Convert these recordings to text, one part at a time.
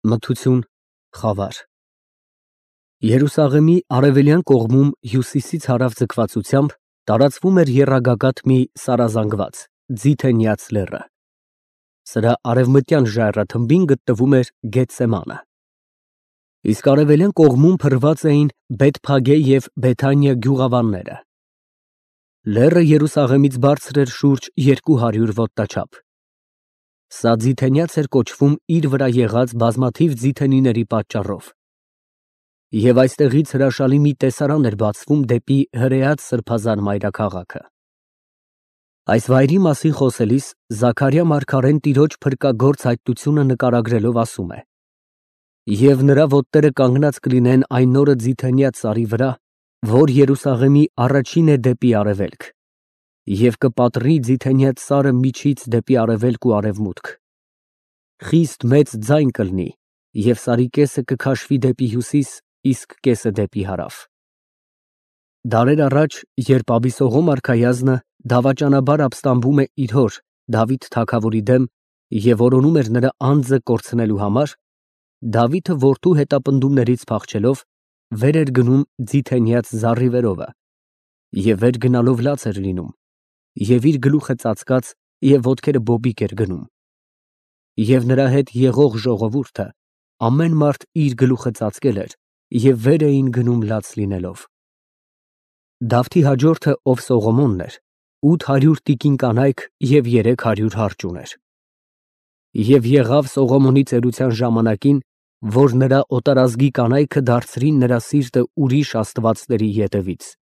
Մթություն, խավար։ Երուսաղեմի արևելյան կողմում հյուսիսից հարավ ձգվածությամբ տարածվում էր եռագագաթ մի սարազանգված, ձիթենյաց լեռը։ Սրա արևմտյան ժայռաթմբին գտնվում էր Գեթսեմանը։ Իսկ արևելյան կողմում փռված էին Բեթփագե և Բեթանիա գյուղավանները։ Լեռը Երուսաղեմից բարձր էր շուրջ 200 ոտնաչափ։ Սա ձիթենյաց էր կոչվում իր վրա եղած բազմաթիվ ձիթենիների պատճառով։ Եվ այստեղից հրաշալի մի տեսարան էր բացվում դեպի հրեած սրբազան մայրաքաղաքը։ Այս վայրի մասին խոսելիս Զաքարիա մարգարեն տիրոջ փրկագործ հայտնությունը նկարագրելով ասում է. «Եվ նրա ոտները կանգնած կլինեն այն նորը ձիթենյաց սարի վրա, որ Երուսաղեմի առաջինն է դեպի արևելք, և կպատրի ձիթենյաց սարը միջից դեպի արևելք ու արևմուտք։ Խիստ մեծ ձայն կլինի, և սարի կեսը կքաշվի դեպի հյուսիս, իսկ կեսը դեպի հարավ»։ Դարեր առաջ, երբ Աբիսողոմ արքայազնը դավաճանաբար ապստամբում է իր հոր Դավիթ թագավորի դեմ և որոնում էր նրա անձը կորցնելու համար, Դավիթը որդու հետապնդումներից փախչելով վեր էր գնում ձիթենյաց զառիվերովը և վեր գնալով լաց էր լինում, և իր գլուխը ծածկած և ոտքերը բոբիկ էր գնում։ Եվ նրա հետ եղող ժողովուրդը ամեն մարդ իր գլուխը ծածկել էր և վեր էին գնում լաց լինելով։ Դավթի հաջորդը, ով Սողոմոնն էր, 800 տիկին կանայք և 300 հարճ ուներ։ Եվ եղավ Սողոմոնի ծերության ժամանակին, որ նրա օտարազգի կանայքը դարձրին նրա սիրտը ուրիշ աստվածների ետևից։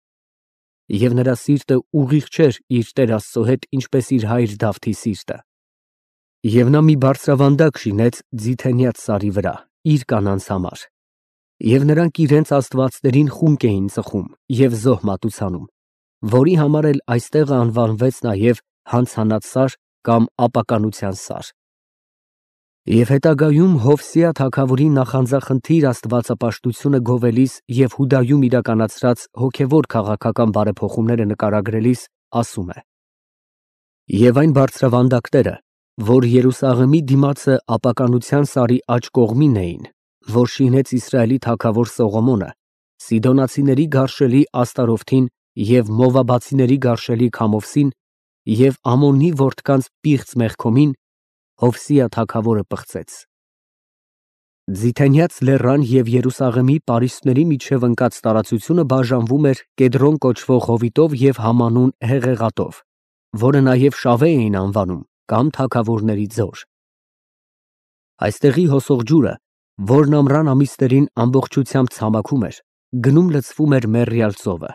Եվ նրա սիրտը ուղիղ չէր իր Տեր Աստծո հետ, ինչպես իր հայր Դավթի սիրտը։ Եվ նա մի բարձրավանդակ շինեց ձիթենյաց սարի վրա իր կանանց համար, և նրանք իրենց աստվածներին խունկ էին ծխում և զոհ մատուցանում, որի համար էլ այստեղը անվանվեց նաև Հանցանած սար կամ Ապականության սար։ Եվ հետագայում Հովսիա թագավորի նախանձախնդիր աստվածապաշտությունը գովելիս և Հուդայում իրականացրած հոգևոր քաղաքական բարեփոխումները նկարագրելիս ասում է. «Եվ այն բարձրավանդակները, որ Երուսաղեմի դիմացը Ապականության սարի աջ կողմին էին, որ շինեց Իսրայելի թագավոր Սողոմոնը, Սիդոնացիների գարշելի Աստարովթին և Մովաբացիների գարշելի Քամովսին և Ամոնի որդկանց պիղծ Մեղքոմին, Հովսիա թագավորը պղծեց։ Ձիթենյաց լեռան և Երուսաղեմի պարիսպների միջև ընկած տարածությունը բաժանվում էր Կեդրոն կոչվող հովիտով և համանուն հեղեղատով, որը նաև Շավե էին անվանում կամ թագավորների ձոր։ Այստեղի հոսող ջուրը, որն ամռան ամիսներին ամբողջությամբ ցամաքում էր, գնում լցվում էր Մեռյալ ծովը։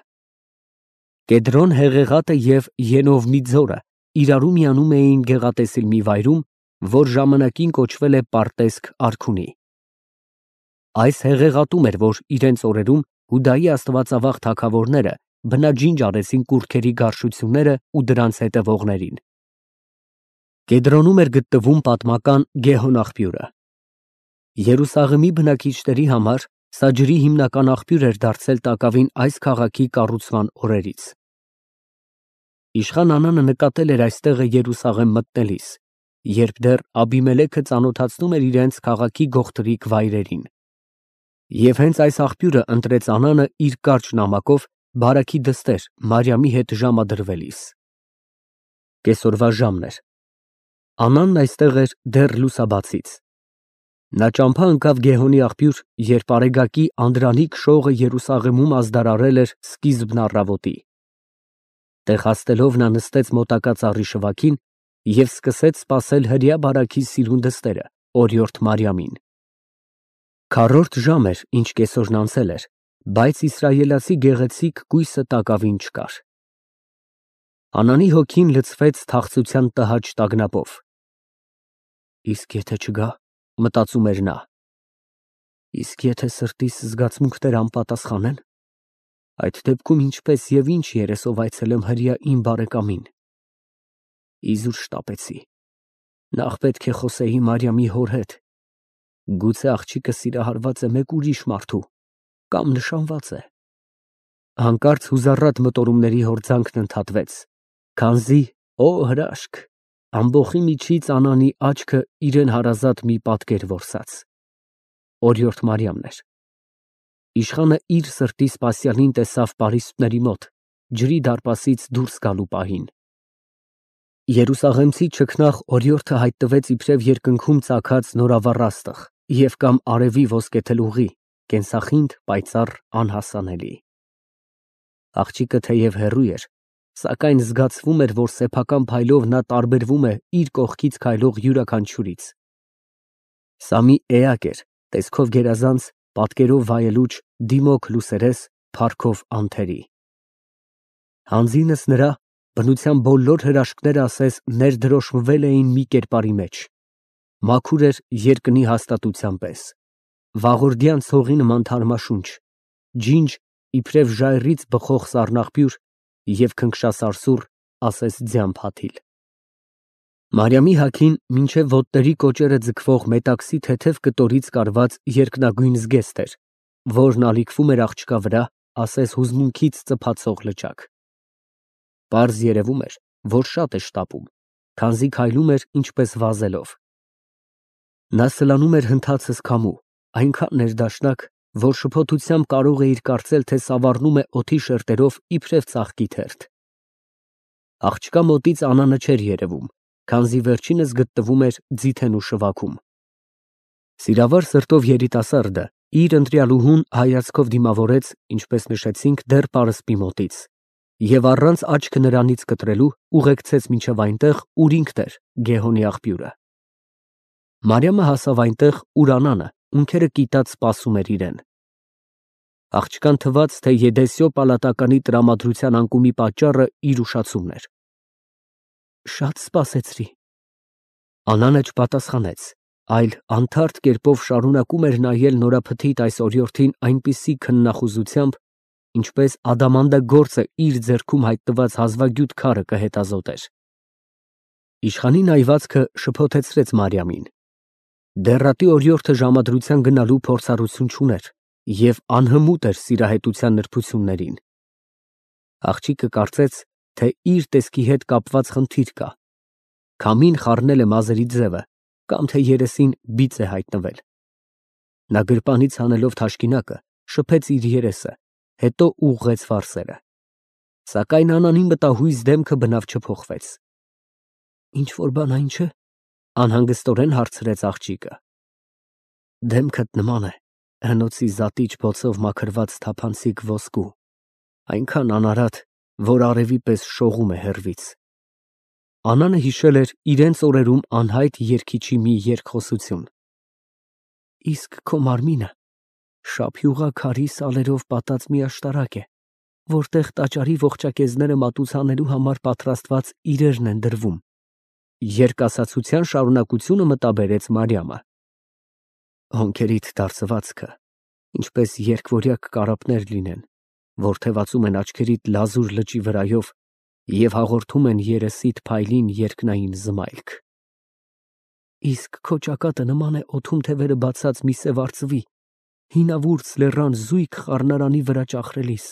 Կեդրոն հեղեղատը և Ենովմի ձորը իրարու միանում էին գեղատեսիլ մի վայրում, որ ժամանակին կոչվել է Պարտեսք արքունի։ Այս հեղեղատում էր, որ իրենց օրերում Հուդայի աստվածավախ թագավորները բնաջինջ արեցին կուռքերի գարշությունները ու դրանց հետևողներին։ Կեդրոնում էր գտնվում պատմական Գեհոն աղբյուրը։ Երուսաղեմի բնակիչների համար սա ջրի հիմնական աղբյուր էր դարձել տակավին այս քաղաքի կառուցման օրերից։ Իշխան Անանը նկատել էր այստեղը Երուսաղեմ մտնելիս, երբ դեռ Աբիմելեքը ծանոթացնում էր իրենց քաղաքի գողտրիկ վայրերին։ Եվ հենց այս աղբյուրը ընտրեց Անանը իր կարճ նամակով բարեքի դստեր Մարիամի հետ ժամադրվելիս։ Կեսօրվա ժամն էր։ Անանն այստեղ էր դեռ լուսաբացից։ Նա ճամփա ընկավ Գեհոնի աղբյուր, երբ Արեգակի անդրանիկ շողը Երուսաղեմում ազդարարել էր սկիզբն առավոտի։ Տեղ հասնելով նա նստեց մոտակա ծառի շվաքին և սկսեց սպասել հրեա բարաքի սիրուն դստերը՝ օրիորդ Մարիամին։ Քառորդ ժամ էր, ինչ կեսօրն անցել էր, բայց իսրայելացի գեղեցիկ կույսը տակավին չկար։ Անանի հոգին լցվեց թախծության տհաճ տագնապով։ Իսկ եթե չգա, մտածում էր նա, իսկ եթե սրտիս զգացմունքները անպատասխանեն, այդ դեպքում ինչպես և ինչ երեսով այցելեմ հրեա իմ բարեկամին։ Իզուր շտապեցի, նախ պետք է խոսեի Մարիամի հոր հետ, գուցե աղջիկը սիրահարված է մեկ ուրիշ մարդու կամ նշանված է։ Հանկարծ հուզառատ մտորումների հորձանքն ընդհատվեց, քանզի, օ հրաշք, ամբոխի միջից Անանի աչքը իրան հարազատ մի պատկեր որսաց։ օրիորդ Մարիամն էր։ Իշխանը իր սրտի սպասյալին տեսավ պարիսպների մոտ, ջրի դարպասից դուրս գալու պահին։ Երուսաղեմցի չքնաղ օրիորդը հայտնվեց իբրև երկնքում ծագած նորավառ աստղ և կամ արևի ոսկեթելուղի, կենսախինդ, պայծառ, անհասանելի։ Աղջիկը թեև հեռու էր, սակայն զգացվում էր, որ սեփական փայլով նա տարբերվում է իր կողքից քայլող յուրաքանչյուրից։ Սա մի էակ էր, տեսքով գերազանց, պատկերով վայելուչ, դիմոք լուսերես, փառքով անթերի։ Հանձինս նրա բնության բոլոր հրաշքները ասես ներդրոշմվել էին մի կերպարի մեջ։ Մաքուր էր երկնի հաստատության պես, վաղորդյան ցողի նման թարմաշունչ, ջինջ իբրև ժայռից բխող սառնաղբյուր և քնքշասարսուռ, ասես ձյան փաթիլ։ Մարիամի հագին մինչև ոտների կոճերը ձգվող մետաքսի թեթև կտորից կարված երկնագույն զգեստ էր, որն ալիքվում էր աղջկա վրա, ասես հուզմունքից ծփացող լճակ։ Պարզ երևում էր, որ շատ է շտապում, քանզի քայլում էր ինչպես վազելով։ Նա սլանում էր հնդածս քամու, այնքան ներդաշնակ, որ շփոթությամբ կարող էիր կարծել, թե սավառնում է օդի շերտերով իբրև ծաղկի թերթ։ Աղջկա մոտից Անանը չէր երևում, քանզի վերջինս գտնվում էր ձիթենու շվաքում։ Սիրավար սրտով երիտասարդը իր ընտրյալուհուն հայացքով դիմավորեց, ինչպես նշեցինք, դեռ պարսպի մոտից, և առանց աչքը նրանից կտրելու ուղեկցեց մինչև այնտեղ, ուր ինքն էր, Գեհոնի աղբյուրը։ Մարիամը հասավ այնտեղ, ուր Անանը, ունքերը կիտած, սպասում էր իրեն։ Աղջկան թվաց, թե Եդեսյո պալատականի տրամադրության անկումի պատճառը իր ուշացումն էր։ Շատ սպասեցրի։ Անանը չպատասխանեց, այլ անթարթ կերպով շարունակում էր նայել նորափթիթ այս օրիորդին այնպիսի քննախուզությամբ, ինչպես ադամանդը գործը իր ձեռքում հայտնված հազվագյուտ քարը կհետազոտեր։ Իշխանի նայվածքը շփոթեցրեց Մարիամին։ Դեռատի օրիորդը ժամադրության գնալու փորձառություն չուներ և անհմուտ էր սիրահետության նրբություններին։ Աղջիկը կարծեց, թե իր տեսքի հետ կապված խնդիր կա, քամին խառնել է մազերի ձևը, կամ թե երեսին բիծ է հայտնվել։ Նա գրպանից հանելով թաշկինակը, շփեց իր երեսը, հետո ուղղեց վարսերը։ Սակայն Անանի մտահույզ դեմքը բնավ չփոխվեց։ Ինչ-որ բան այն չէ՞, անհանգստորեն հարցրեց աղջիկը։ Դեմքդ նման է հնոցի զատիչ բոցով մաքրված թափանցիկ ոսկու, այնքան անարատ, որ արևի պես շողում է հեռվից։ Անանը հիշել էր իրենց օրերում անհայտ երգիչի մի երգխոսություն։ Իսկ քո մարմինը շափյուղա քարի սալերով պատած մի աշտարակ է, որտեղ տաճարի ողջակեզները մատուցանելու համար պատրաստված իրերն են դրվում։ Երկասացության շարունակությունը մտաբերեց Մարիամը։ Հոնքերիդ դարսվածքը, ինչպես երկվորյակ կարապներ լինեն, որ թևածում են աչքերիդ լազուր լճի վրայով և հաղորդում են երեսիդ փայլին երկնային զմայլք։ Իսկ քո ճակատը նման է օդում թևերը բացած մի սև արծվի, հինավուրց լեռան զույգ խառնարանի վրա ճախրելիս։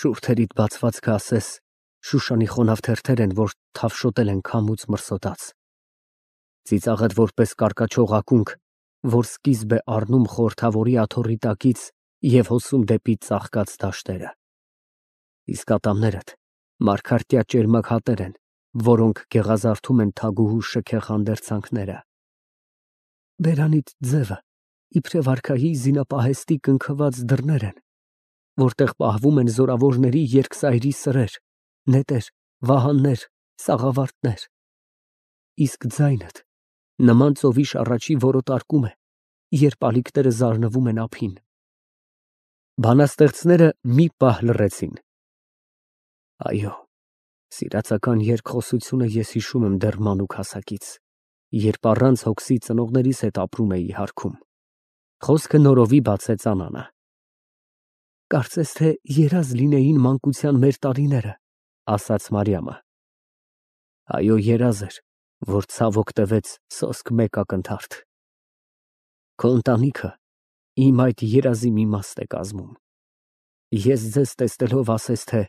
Շուրթերիդ բացվածքը ասես Շուշանի խոնավ թերթեր են, որ թավշոտել են քամուց մրսոտած։ Ծիծաղդ որպես կարկաչող ակունք, որ սկիզբ է առնում խորհրդավորի աթոռի տակից և հոսում դեպի ծաղկած դաշտերը։ Իսկ ատամներդ մարգարտյա ճերմակ հատեր են, որոնք գեղազարդում են թագուհու շքեղ հանդերձանքները։ Բերանիդ ձևը իբրև արքայի զինապահեստի կնքված դռներ են, որտեղ պահվում են զորավորների երկսայրի սրեր, նետեր, վահաններ, սաղավարտներ։ Իսկ ձայնդ նման ծովի շառաչի որոտարկում է, երբ ալիքները զարնվում են ափին։ Բանաստեղծները մի պահ լռեցին։ Այո, սիրածական երկխոսությունը ես հիշում եմ դեռ մանուկ հասակից, երբ առանց հոգսի ծնողներիս հետ ապրում էի հարքում։ Խոսքը նորովի բացեց Անանը։ Կարծես թե երազ լինեին մանկության մեր տարիները, ասաց Մարիամը։ Այո, երազ էր, որ ցավոք տվեց սոսկ մեկ ակնթարթ։ Քո ընտանիքը իմ այդ երազի մի մաս է կազմում։ Ես ձեզ տեսնելով ասես թե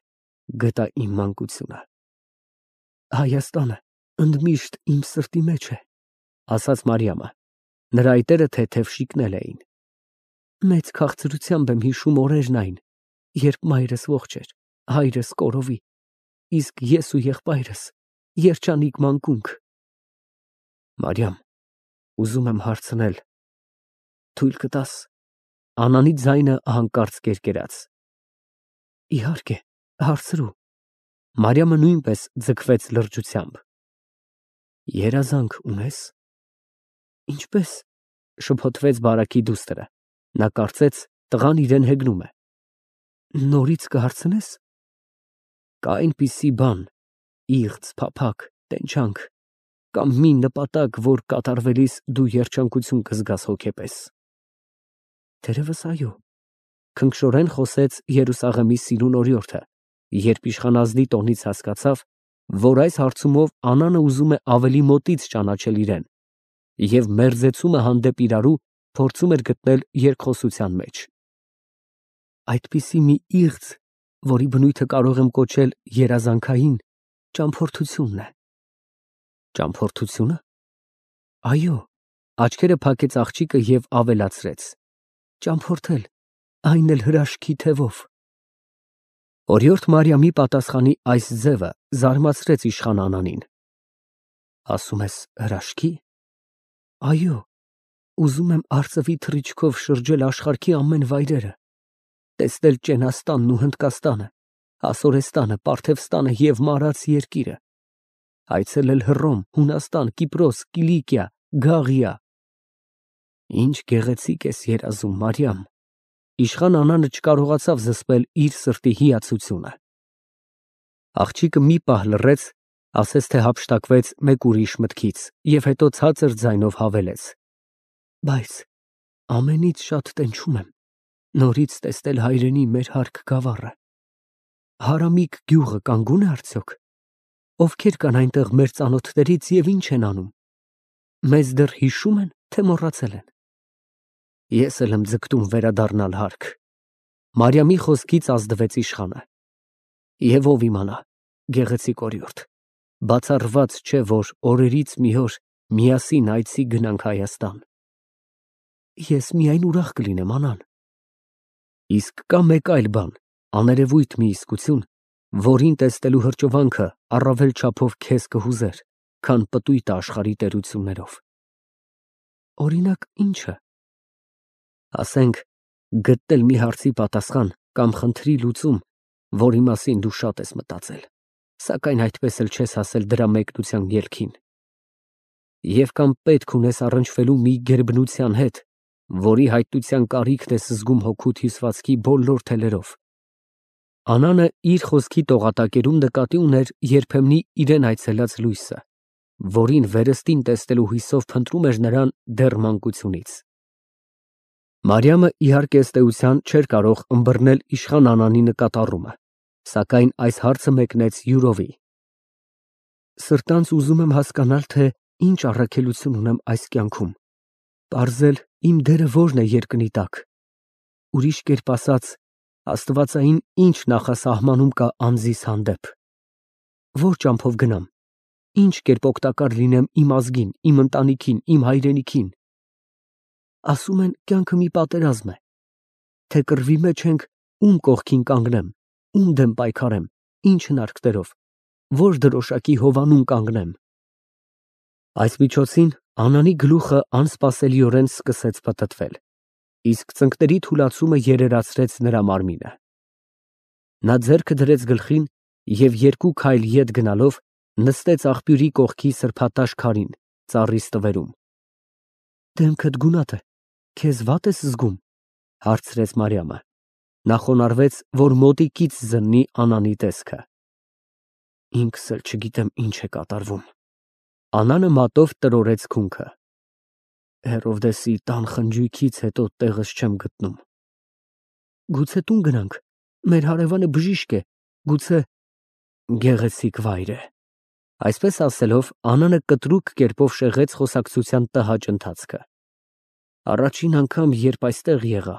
գտա իմ մանկությունը։ Հայաստանը ընդմիշտ իմ սրտի մեջ է, ասաց Մարիամը։ Նրա այտերը թեթև շիկնել էին։ Մեծ քաղցրությամբ եմ հիշում օրերն այն, երբ մայրս ողջ էր, հայրս կորովի, իսկ ես ու եղբայրս երջանիկ մանկունք։ Մարիամ, ուզում եմ հարցնել, թույլ կտա՞ս։ Անանի ձայնը հանկարծ կերկերաց։ Իհարկե, հարցրու։ Մարիամը նույնպես ձգվեց լրջությամբ։ Երազանք ունես։ Ինչպես, շփոթվեց բարակի դուստրը։ Նա կարծեց, տղան իրեն հեգնում է։ Նորից կհարցնես։ Կա այնպիսի բան, իղձ, փափագ, տենչանք, կամ մի նպատակ, որ կատարվելիս դու երջանկություն կզգաս հոգեպես։ Թերևս այո, քնքշորեն խոսեց Երուսաղեմի սիրուն օրիորդը, երբ իշխանազնի տոնից հասկացավ, որ այս հարցումով Անանը ուզում է ավելի մոտից ճանաչել իրեն, և մերձեցումը հանդեպ իրարու փորձում էր գտնել երկխոսության մեջ։ Այդպիսի մի իղձ, որի բնույթը կարող եմ կոչել երազանքային, ճամփորդությունն է։ Ճամփորդությունը։ Այո, աչքերը փակեց աղջիկը և ավելացրեց. Ճամփորդել, այն էլ հրաշքի թևով։ Օրիորդ Մարիամի պատասխանի այս ձևը զարմացրեց իշխան Անանին։ Ասում ես հրաշքի։ Այո, ուզում եմ արծվի թռիչքով շրջել աշխարհի ամեն վայրերը, տեսնել Ճենաստանն ու Հնդկաստանը, Ասորեստանը, Պարթևստանը և Մարաց երկիրը, այցելել Հռոմ, Հունաստան, Կիպրոս, Կիլիկիա, Գաղիա։ Ինչ գեղեցիկ ես երազում, Մարիամ։ Իշխան Անանը չկարողացավ զսպել իր սրտի հիացությունը։ Աղջիկը մի պահ լռեց, ասես թե հափշտակվեց մեկ ուրիշ մտքից, և հետո ցածր ձայնով հավելեց. Բայց ամենից շատ տենչում եմ նորից տեսնել հայրենի մեր հարկ գավառը։ Հարամիկ գյուղը կանգուն է արդյոք։ Ովքեր կան այնտեղ մեր ծանոթներից և ինչ են անում։ Մեզ դեռ հիշում են, թե մոռացել են։ Ես էլ եմ ձգտում վերադառնալ հարկ։ Մարիամի խոսքից ազդվեց իշխանը։ Եվ ով իմանա, գեղեցիկ օրիորդ, բացառված չէ, որ օրերից մի օր միասին այցի գնանք Հայաստան։ Ես միայն ուրախ կլինեմ, Անան։ Իսկ կա մեկ այլ բան, աներևույթ մի իսկություն, որին տեսնելու հրճվանքը առավել չափով քեզ կհուզեր, քան պտույտը աշխարհի տերություններով։ Օրինակ, ի՞նչը։ Ասենք, գտնել մի հարցի պատասխան կամ խնդրի լուծում, որի մասին դու շատ ես մտածել, սակայն այդպես էլ չես հասել դրա մեկնության ելքին։ Եվ կամ պետք ունես առնչվելու մի գերբնության հետ, որի հայտնության կարիքն ես զգում հոգուդ հյուսվածքի բոլոր թելերով։ Անանը իր խոսքի տողատակերում նկատի ուներ երբեմնի իրեն այցելած լույսը, որին վերստին տեսնելու հույսով փնտրում էր նրան դեռ մանկությունից։ Մարիամը իհարկե ըստ էության չէր կարող ըմբռնել իշխան Անանի նկատառումը, սակայն այս հարցը մեկնեց յուրովի։ Սրտանց ուզում եմ հասկանալ, թե ինչ առաքելություն ունեմ այս կյանքում, պարզել իմ դերը որն է երկնի տակ։ Ուրիշ կերպ ասած, աստվածային ինչ նախասահմանում կա անձիս հանդեպ։ Որ ճամփով գնամ, ինչ կերպ օգտակար լինեմ իմ ազգին, իմ ընտանիքին, իմ հայրենիքին։ Ասում են, կյանքը մի պատերազմ է, թե կռվի մեջ ենք, ում կողքին կանգնեմ, ում դեմ պայքարեմ, ինչ հնարքներով, որ դրոշակի հովանում կանգնեմ։ Այս միջոցին Անանի գլուխը անսպասելիորեն սկսեց պտտվել, իսկ ծնկների թուլացումը երերացրեց նրա մարմինը։ Նա ձեռքը դրեց գլխին և երկու քայլ ետ գնալով նստեց աղբյուրի կողքի սրբատաշ քարին, ծառի ստվերում։ Դեմքդ գունատ է, քեզ վատ ես զգում, հարցրեց Մարիամը։ Նա խոնարհվեց, որ մոտիկից զննի Անանի տեսքը։ Ինքս էլ չգիտեմ ինչ է կատարվում։ Անանը մատով տրորեց քունքը։ Հերովդեսի տան խնջույքից հետո տեղս չեմ գտնում։ Գուցե տուն գնանք, մեր հարևանը բժիշկ է, գուցե գեղեցիկ վայր է։ Այսպես ասելով, Անանը կտրուկ կերպով շեղեց խոսակցության տհաճ ընթացքը։ Առաջին անգամ, երբ այստեղ եղա,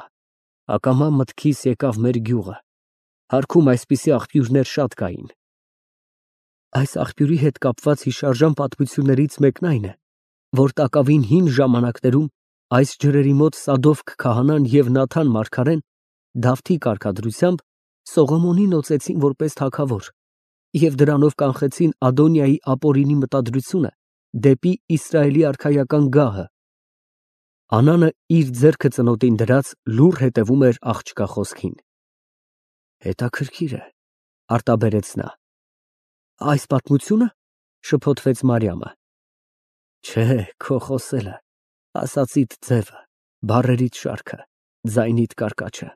ակամա մտքիս եկավ մեր գյուղը։ Հարքում այսպիսի աղբյուրներ շատ կային։ Այս աղբյուրի հետ կապված հիշարժան պատմություններից մեկն այն է, որ տակավին հին ժամանակներում Այս ջրերի մոտ Սադովք քահանան և Նաթան մարգարեն Դավթի կարգադրությամբ Սողոմոնին օծեցին որպես թագավոր և դրանով կանխեցին Ադոնիայի ապօրինի մտադրությունը դեպի Իսրայելի արքայական գահը։ Անանը իր ձեռքը ծնոտին դրած լուռ հետևում էր աղջկա խոսքին։ Հետաքրքիր է, արտաբերեց նա։ Այս պատմությունը, շփոթվեց Մարիամը։ Չէ, քո խոսելը, ասածիդ ձևը, բառերիդ շարքը, ձայնիդ կարկաչը։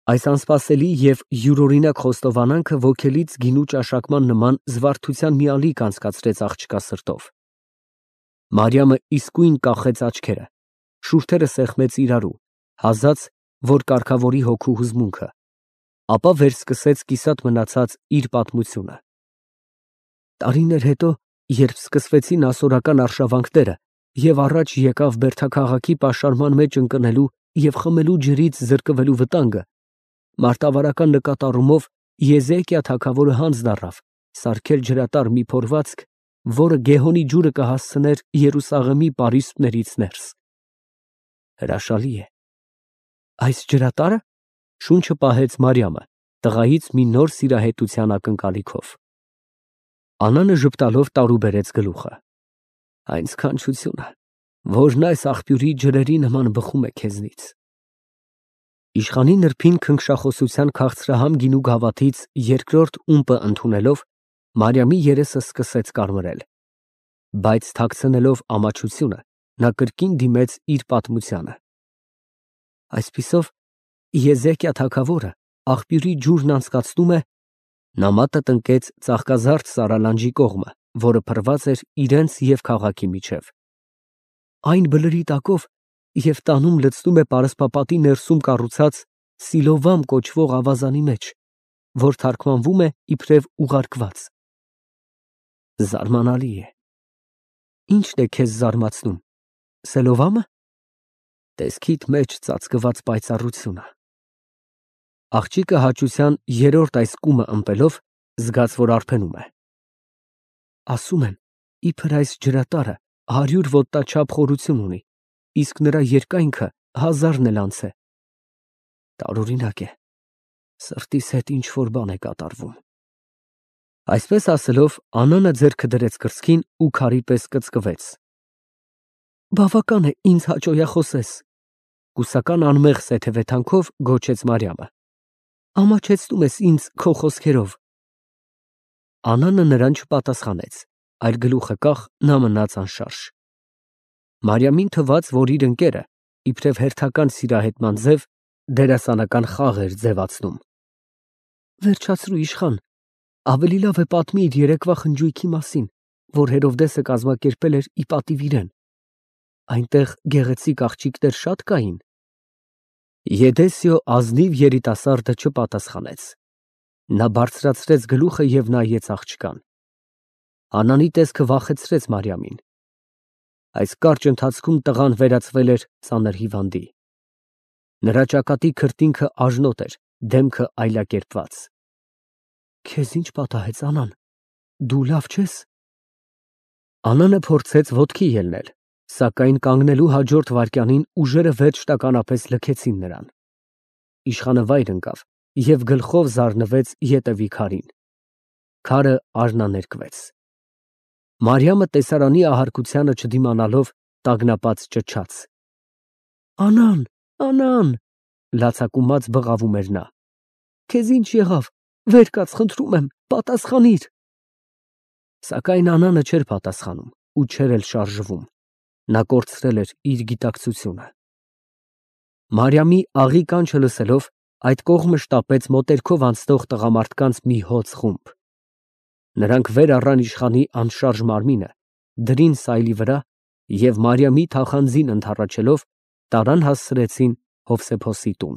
Այս անսպասելի և յուրօրինակ խոստովանանքը ոգելից գինու ճաշակման նման զվարթության մի ալիք անցկացրեց աղջկա սրտով։ Մարիամը իսկույն կախեց աչքերը, շուրթերը սեղմեց իրարու, հազաց, որ կարգավորի հոգու հուզմունքը, ապա վերսկսեց կիսատ մնացած իր պատմությունը։ Տարիներ հետո, երբ սկսվեցին ասորական արշավանքները և առաջ եկավ Բերդաքաղաքի պաշարման մեջ ընկնելու և խմելու ջրից զրկվելու վտանգը, մարտավարական նկատառումով Եզեկիա թագավորը հանձն առավ սարքել ջրատար մի փորվածք, որը Գեհոնի ջուրը կհասցներ Երուսաղեմի պարիսպներից ներս։ Հրաշալի է։ Այս ջրատարը, շունչը պահեց Մարիամը, տղայից մի նոր սիրահետության ակնկալիքով։ Անանը ժպտալով տարուբերեց գլուխը։ Այն սքանչությունը, որն այս աղբյուրի ջրերի նման բխում է քեզնից։ Իշխանի նրբին քնքշախոսության քաղցրահամ գինու գավաթից երկրորդ ումպը ընդունելով, Մարիամի երեսը սկսեց կարմրել, բայց թաքցնելով ամաչությունը, նա կրկին դիմեց իր պատմությանը։ Այսպիսով, Եզեկիա թագավորը աղբյուրի ջուրն անցկացնում է, նա մատը տնկեց ծաղկազարդ սարալանջի կողմը, որը փռված էր իրենց և քաղաքի միջև։ Այն բլրի տակով և տանում լցնում է պարսպապատի ներսում կառուցած Սիլովամ կոչվող ավազանի մեջ, որ թարգմանվում է իբրև ուղարկված։ Զարմանալի է։ Ի՞նչն է քեզ զարմացնում, Սելովամը։ Տեսքիդ մեջ ծածկված պայծառությունը։ Աղջիկը հաճության երրորդ այս կումը ըմպելով զգաց, որ արբենում է։ Ասում են, իբր այս ջրատարը 100 ոտնաչափ խորություն ունի, իսկ նրա երկայնքը 1000-ն էլ անց է։ Տարօրինակ է, սրտիս հետ ինչ-որ բան է կատարվում։ Այսպես ասելով, Անանը ձեռքը դրեց կրծքին ու քարի պես կծկվեց։ Բավական է ինձ հաճոյախոսես, կուսական անմեղ սեթևեթանքով գոչեց Մարիամը։ Ամաչեցնում ես ինձ քո խոսքերով։ Անանը նրան չպատասխանեց, այլ գլուխը կախ նա մնաց անշարժ։ Մարիամին թվաց, որ իր ընկերը, իբրև հերթական սիրահետման ձև, դերասանական խաղ էր ձևացնում։ Վերջացրու, իշխան, ավելի լավ է պատմի իր երեկվա խնջույքի մասին, որ Հերովդեսը կազմակերպել էր ի պատիվ իրեն։ Այնտեղ գեղեցիկ աղջիկներ շատ կային։ Եդեսիո ազնիվ երիտասարդը չպատասխանեց։ Նա բարձրացրեց գլուխը և նայեց աղջկան։ Անանի տեսքը վախեցրեց Մարիամին։ Այս կարճ ընթացքում տղան վերածվել էր ծանր հիվանդի։ Նրա ճակատի քրտինքը աժնոտ էր, դեմքը այլակերպված։ Քեզ ինչ պատահեց, Անան, դու լավ չես։ Անանը փորձեց ոտքի ելնել, սակայն կանգնելու հաջորդ վայրկյանին ուժերը վերջնականապես լքեցին նրան։ Իշխանը վայր ընկավ և գլխով զարնվեց ետևի քարին։ Քարը արհնաներկվեց։ Մարիամը տեսարանի ահարկությանը չդիմանալով տագնապած ճչաց. Անան, Անան, լացակումած բղավում էր նա։ Քեզ ինչ եղավ, վեր կաց, խնդրում եմ, պատասխանիր։ Սակայն Անանը չէր պատասխանում ու չէր էլ շարժվում։ Նա կորցրել էր իր գիտակցությունը։ Մարիամի աղի կանչը լսելով, այդ կողմը շտապեց մոտերքով անցնող տղամարդկանց մի հոծ խումբ։ Նրանք վեր առան իշխանի անշարժ մարմինը, դրին սայլի վրա և Մարիամի թախանձին ընդառաջելով տարան հասցրեցին Հովսեփոսի տուն։